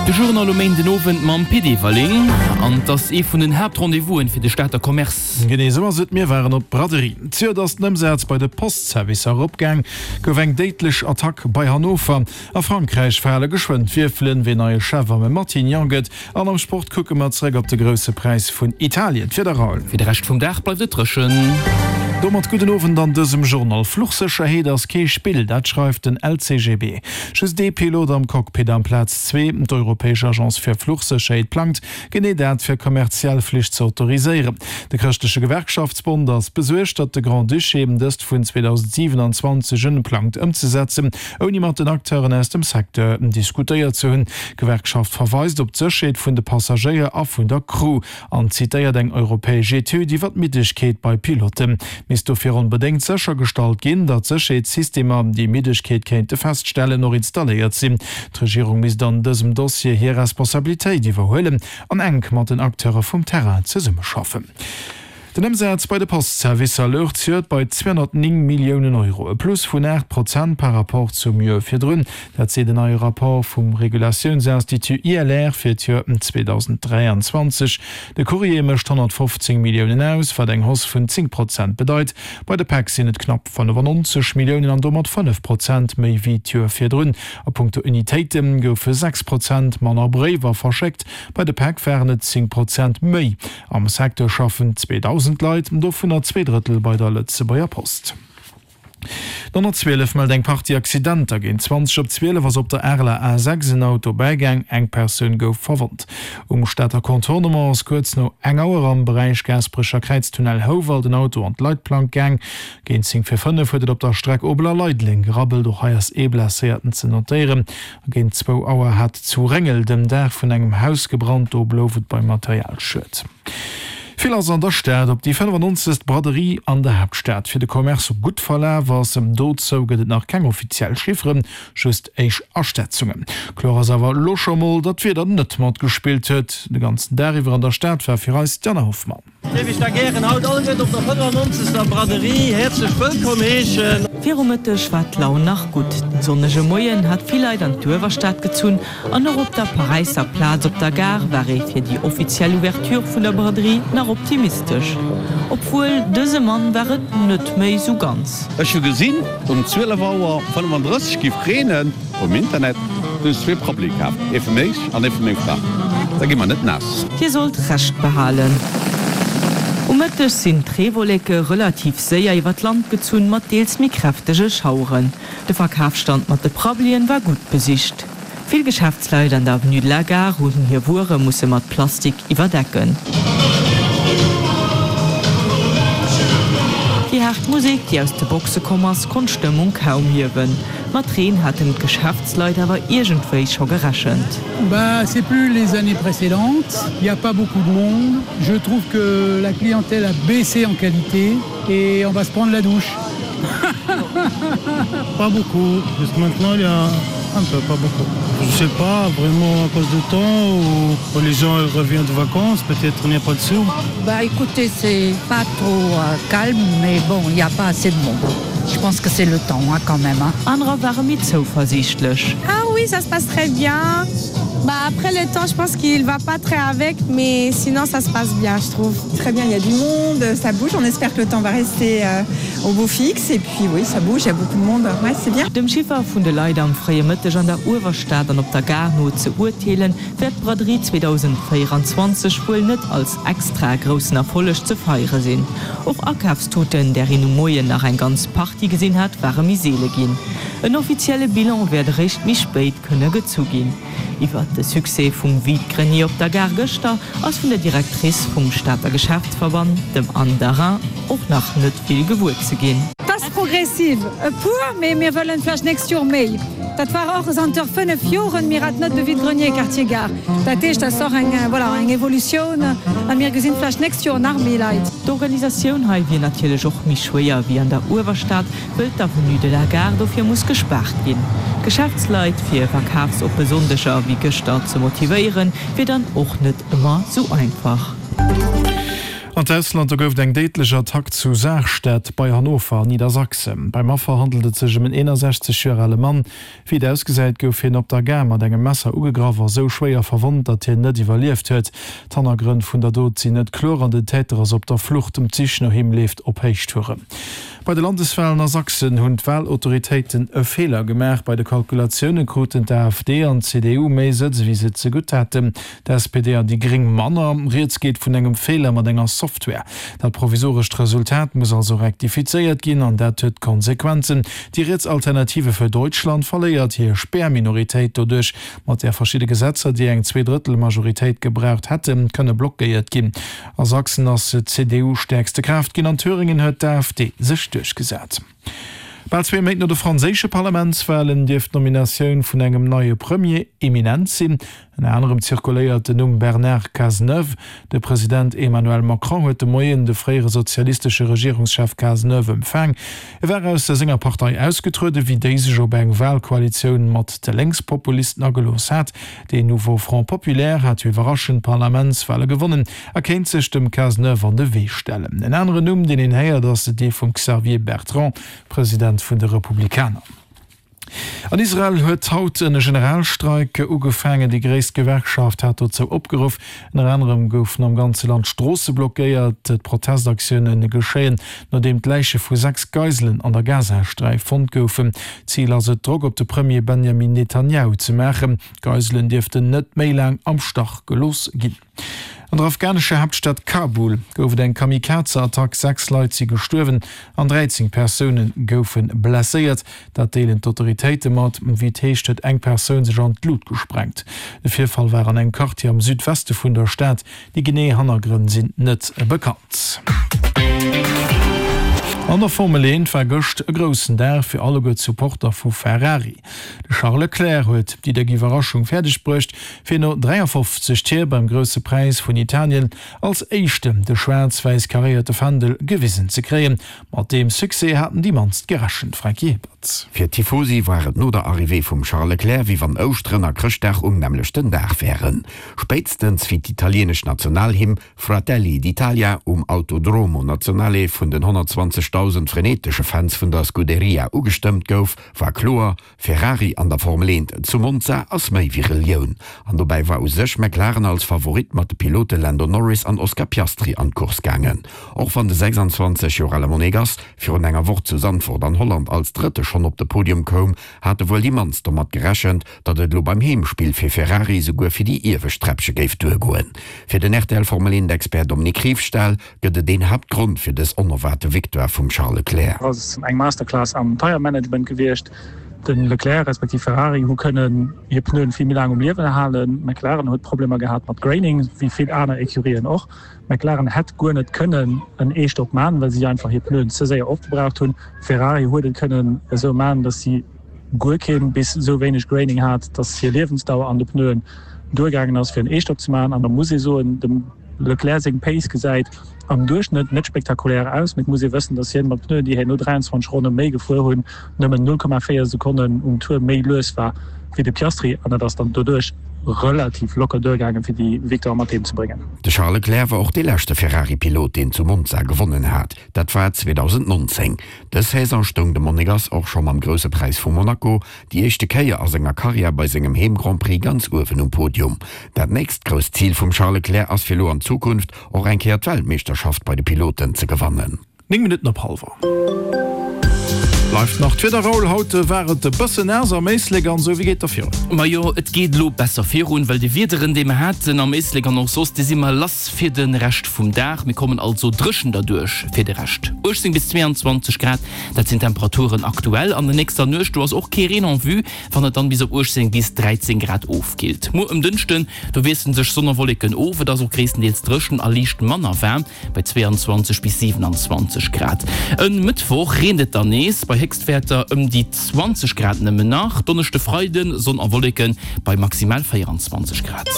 De Journal um Méinden Owend mam Pit Everling. An 't ass ee vun den Haaptrendez-vousen fir de Stater Commerce. Genee esou ass et, mir waren op d'Braderie. Zejoert ass den Ëmsaz bei de Postservicer eropgaang, gouf eng déidlech Attack bei Hannover. A Frankräich fale geschwënn d'Wierfelen, ween neie Chef am Matignon gëtt. An am Sport kucke mer zeréck op de Grousse Präis vun Italien. D'Wieder Raoul. Fir de Rescht vum Dag bleift et dréchen. Domat gudden Owend an dësem Journal. Fluchsécherheet ass kee Spill, dat schreift den LCGB. Just ee Pilot am Cockpit amplaz zwee. D'Europäesch Agence fir Fluchsécherheet plangt genee dat fir kommerziell Flich ze autoriséieren. De Chrëschtleche Gewerkschaftsbond ass besuergt, datt de Grand-Duché dëst vun 2027 un plangt ëmzesetzen. Ouni mat den Acteuren aus dem Secteur diskutéiert ze hunn. D'Gewerkschaft verweist op d'Sécherheet vun de Passagéier a vun der Crew an zitéiert eng europäesch Etüd iwwer d'Middegkeet bei Piloten. Misst dofir onbedéngt séchergestallt ginn, datt Sécherheetssystemer, déi Middegkeet kéinte feststellen, och installéiert sinn. D'Regierung misst an dësem Dossier hir Responsabilitéit iwwerhuelen an enk mat den Acteure vum Terrain zesummeschaffen. Den Ëmsaz bei de Postservicer louch zejoert bei 209 Milliounen Euro, e Plus vun 8 Prozent par Rapport zum Joer virdrun. Dat seet en neie Rapport vum Regulatiounsinstitut ILR fir d'Joer 2023. De Courrier mécht 115 Milliounen aus, wat eng Hausse vun 10 Prozent bedeit. Bei de Päck sinn et knapp 95 Milliounen an domat 5 Prozent méi wéi d'Joer virdrun. A punkto Unitéite goufe 6 Prozent manner Bréiwer verschéckt, bei de Päck waren et 10 Prozent méi. Am Secteur schaffen 2.000 Leit, dovunner zweedrëttel bei der Lëtzebuerger Post. D'112 mellt eng Partie Accidenter. Géint 20 op 12 ass op der Areler A6 en Auto bäigaang, eng Persoun gouf verwonnt. Um Stater Contournement ass kuerz no eng Auer am Beräich Gaasperecher Kräiztunnel Houwald en Auto an d'Leitplank gaang. Géint 10 vir 5 huet et op der Streck Obel a Leideleng gerabbelt, och hei ass ee Blesséierten ze notéieren. Géint zwou Auer hat zu Réngel dem Daach vun engem Haus gebrannt, do blouf et beim Materialschued. Vill ass an der Stad op déi 95. Braderie an der Haaptstad fir de Commerce gutt verlaf ass. Dozou gëtt et nach keng offiziell Chifferen, just éischt Aschätzungen. Kloer ass awer elo scho mol, datt d'Wieder net matgespillt huet. De ganzen Dag iwwer an der Stad war fir eis d'Jana Hoffmann. Géif ech da gären haut alleguerten op der 95. Braderie häerzlech wëllkomm heeschen. Viru Mëtteg war d'Laun nach gutt. Den sonnege Moien hat vill Leit an d'Uewerstad gezunn an och op der Paräisser Plaz op der Gare war ee fir déi offiziell Ouverture vun der Braderie nach optimistesch. Obwuel, dëse Mann war et net méi sou ganz. Ech hu gesinn um 12 Auer 35 giff reenen. Um Internet hunn ech zwee Prabbeli kaf, ee fir mech an ee fir meng Fra. Da gi mer net naass. Hie sollt Recht behalen. Um Mëtteg sinn d'Reewolleke relativ séier iwwer d'Land gezunn, mat deels méi kräftege Schaueren. De Verkafsstand mat de Prabbelien war gutt besicht. Vill Geschäftsleit an der Avenue de la Gare hunn hir Wuere musse mat Plastik iwwerdecken. Déi haart Musek, déi aus de Boxe komm ass, konnt d'Stëmmung kaum hiewen. Mat Reen haten d'Geschäftsleit awer iergendwéi scho gerechent. Bah c'est plus les années précédentes, il y a pas beaucoup de monde, je trouve que la clientèle a baissé en qualité et on va se prendre la douche. Pas beaucoup, jusque maintenant il y a un peu, pas beaucoup. Je sais pas, vraiment à cause du temps ou les gens ils reviennent de vacances, peut-être il n'y a pas de sous. Bah écoutez c'est pas trop calme mais bon il n'y a pas assez de monde. Je pense que c'est le temps hein, quand même hein. Anerer ware méi zouversiichtlech. Ah oui ça se passe très bien bah après le temps je pense qu'il va pas très avec mais sinon ça se passe bien je trouve. Très bien il y a du monde, ça bouge, on espère que le temps va rester au beau fixe et puis oui ça bouge, il y a beaucoup de monde, ouais c'est bien. Dem Chiffer vun de Leit am fréie Mëtteg an der Uewerstad an op der Gare no ze urteelen, wäert d'Braderie 2024 wuel net als extra groussen Erfolleg ze feiere sinn. Och Akafstuten, där een um Moien nach eng ganz Partie gesinn hat, ware méi seele ginn. En offizielle Bilan wäert eréischt méi spéit kënne gezu ginn. Iwwert de Succès vum Vide-grenier op der Gare gëschter ass vun der Directrice vum Stater Geschäftsverband, dem Anne Darin, och nach net vill gewuer ze ginn. Et ass progressiv, e puer, mee mir wëllen vläicht d'nächst Joer méi. Dat war och zanter 5 Joren, mir haten net de Vide-grenier Quartier Gare. Dat heescht, dat ass och eng, voilà, eng Evolutioun a mir gesinn vläicht d'nächst Joer nach méi Leit. D'Organisatioun hei wier natierlech och méi schwéier wéi an der Uewerstad, wëll d'Avenue de la Gare dofir muss gespaart ginn. D'Geschäftsleit fir verkafsoppe Sonndeger wéi gëschter ze motivéieren, wier dann och net ëmmer sou einfach. An d'Ausland, Do gouf et eng déidlech Attack zu Sarstedt bei Hannover an Niedersachsen. Beim Affer handelt et sech ëm en 61 Joer ale Mann. Wéi et ausgesäit, gouf hien op der Gare mat engem Messer ugegraff a sou schwéier verwonnt, datt hien net iwwerlieft huet. D'Hannergrënn vun der Dot sinn net kloer an den Täter ass op der Flucht. D'Sich no him leeft op Héichtouren. Bei de Landeswalen a Sachsen hunn d'Walautoritéiten e Feeler gemaach. Bei de Kalkulatioune kruten d'AfD an d'CDU méi Sëtz ewéi se zegutt haten. D'SPD an déi Gréng manner. Rieds geet vun engem Feeler mat enger Software. Dat provisorescht Resultat muss also rektifizéiert ginn an dat huet Konsequenzen. Déi riets Alternative für Deutschland verléiert hir Spärminoritéit doduerch, mat där verschidde Gesetzer, déi eng Zweedrëttelmajoritéit gebraucht hätten, kënne blockéiert ginn. A Sachsen ass d'CDU stäerkste Kraaft ginn, an Thüringen huet d'AfD sech duerchgesat. Bal zwee Méint no de franséische Parlamentswalen dierft d'Nominatioun vun engem neie Premier imminent sinn. Ënner anerem zirkuléiert den Numm Bernard Cazeneuve. De President Emmanuel Macron huet de Moien de fréiere sozialistesche Regierungschef Cazeneuve empfaang. E war aus senger Partei ausgetrueden, wéi déi sech op eng Walkoalitioun mat de Lénkspopulisten agelooss hat. Deen Nouveau Front Populaire hat jo iwwerraschend d'Parlamentswale gewonnen a kéint sech dem Cazeneuve an de Wee stellen. En aneren Numm, deen een héiert, ass dee vum Xavier Bertrand, President vun de Republikaner. An Israel huet haut en Generalstreik ugefaangen. Déi gréisst Gewerkschaft hat dozou opgeruff. Ënner anerem goufen am ganze Land d'Stroosse blockéiert. D'Protestaktioune geschéien, nodeem d'Läiche vu 6 Geiselen an der Gazasträif fonnt goufen. Zil ass et, Drock op de Premier Benjamin Netanjahu ze maachen. D'Geiselen dierften net méi laang am Stach gelooss ginn. An der afghanescher Haaptstad Kabul gouf et eng Kamikaze-Attack. 6 Leit si gestuerwen an 13 Persoune goufe blesséiert. Dat deelen d'Autoritéite mat. Wéi et heescht, huet eng Persoun sech an d'Lut gesprengt. De Virfall war an engem Quartier am Südweste vun der Stad. Déi genee Hannergrënn sinn net bekannt. An der Formel 1 war gëscht e groussen Dag fir alleguer d'Supporter vu Ferrari. De Charles Leclerc huet déi déck Iwwerraschung fäerdeg bruecht, fir no 53 Tier beim Grousse Präis vun Italien als Éischten de schwaarz-wäiss karéierte Fändel gewisen ze kréien. Mat deem Succès haten déi mannst gerechent, Franky Hebert. Fir d'Tifosi war et no der Arrivée vum Charles Leclerc, wéi wann Ouschteren a Chrëschtdag um nämmlechten Dag wären. Spéitstens wéi d'italienesch Nationalhymn Fratelli d'Italia um Autodromo Nazionale vun den 120.000 frenetesche Fans vun der Scuderia ugestëmmt gouf, war kloer, Ferrari an der Formel 1 zu Monza ass méi wéi Relioun. An dobäi war u sech McLaren als Favorit mat de Pilote Lando Norris an Oscar Piastri an d'Course gaangen. Och wann de 26 Joer ale Monegass virun enger Woch zu Zandvoort an Holland als Drëtte schonn op de Podium koum, hate wuel déi mannst domat gerechent, datt et elo beim Heemspill fir Ferrari souguer fir déi iewescht Träppche géif duergoen. Fir den rtl Formel 1 Expert Dominique Riefstahl gëtt et een Haaptgrond fir dës onerwaarte Victoire vum Charles Leclerc. Ass eng Masterclass am Tire Management gewiescht. De Leclerc respektiv Ferrari hu kënnen hir Pneuen vill méi laang um Liewen halen. McLaren huet Problemer gehat mat Graining, wéi vill aner Ecurien och. McLaren hätt guer net kënnen en Eestopp man, well si einfach hir Pneuen ze séier opgebraucht hunn. Ferrari huet et kënnen esou man, datt si guer keen bis esou wéineg Graining hat, datt hir Liewensdauer an de Pneuen duergaangen ass fir en Eestopp ze man. An da muss ee soen, dem Leclerc seng Pace gesäit am Duerchschnëtt net spektakulär aus, mee et muss ee wëssen, datt hien mat Pneuen, déi hien no 23 Ronne méi gefuer hunn, nëmmen 0,4 Sekonnen um Tour méi lues war wéi de Piastri an dat ass dann doduerch relativ locker duergaangen, fir déi Victoire mat heem ze bréngen. De Charles Leclerc war och dee leschte Ferrari-Pilot, deen zu Monza gewonnen hat. Dat war 2019. Dës Saison stoung de Monegass och scho mam Grousse Präis vu Monaco déi éischte Kéier a senger Karriär bei sengem Heem-Grand-Prix ganz uewen um Podium. Dat nächst grousst Zil vum Charles Leclerc ass fir elo an Zukunft och eng Kéier d'Weltmeeschterschaft bei de Piloten ze gewannen. 9 Minutten op hallwer. Bleift nach d'Wieder, Raoul. Haut war et e bëssen naass am Éislek an esou. Wéi geet da virun? Majo, et geet elo besser virun, well déi Wiederen, déi mer haten am Éislek an och soss, déi si mer lass fir de Rescht vum Dag. Mir kommen also dréchen derduerch fir de Rescht. 18 bis 22 Grad, dat sinn d'Temperaturen aktuell. An der nächster Nuecht, do ass och kee Reen en vue, wann et dann bis op 18 bis 13 Grad ofkillt. Muer um Dënschden, do wiessele sech Sonn a Wolleken of, et ass och gréisstendeels dréchen a liicht manner waarm bei 22 bis 27 Grad. E Mëttwoch reent et dann nees, bei Héchstwäerter ëm déi 20 Grad nëmmen nach. Donneschde, Freiden, Sonn a Wolleken bei maximal 24 Grad.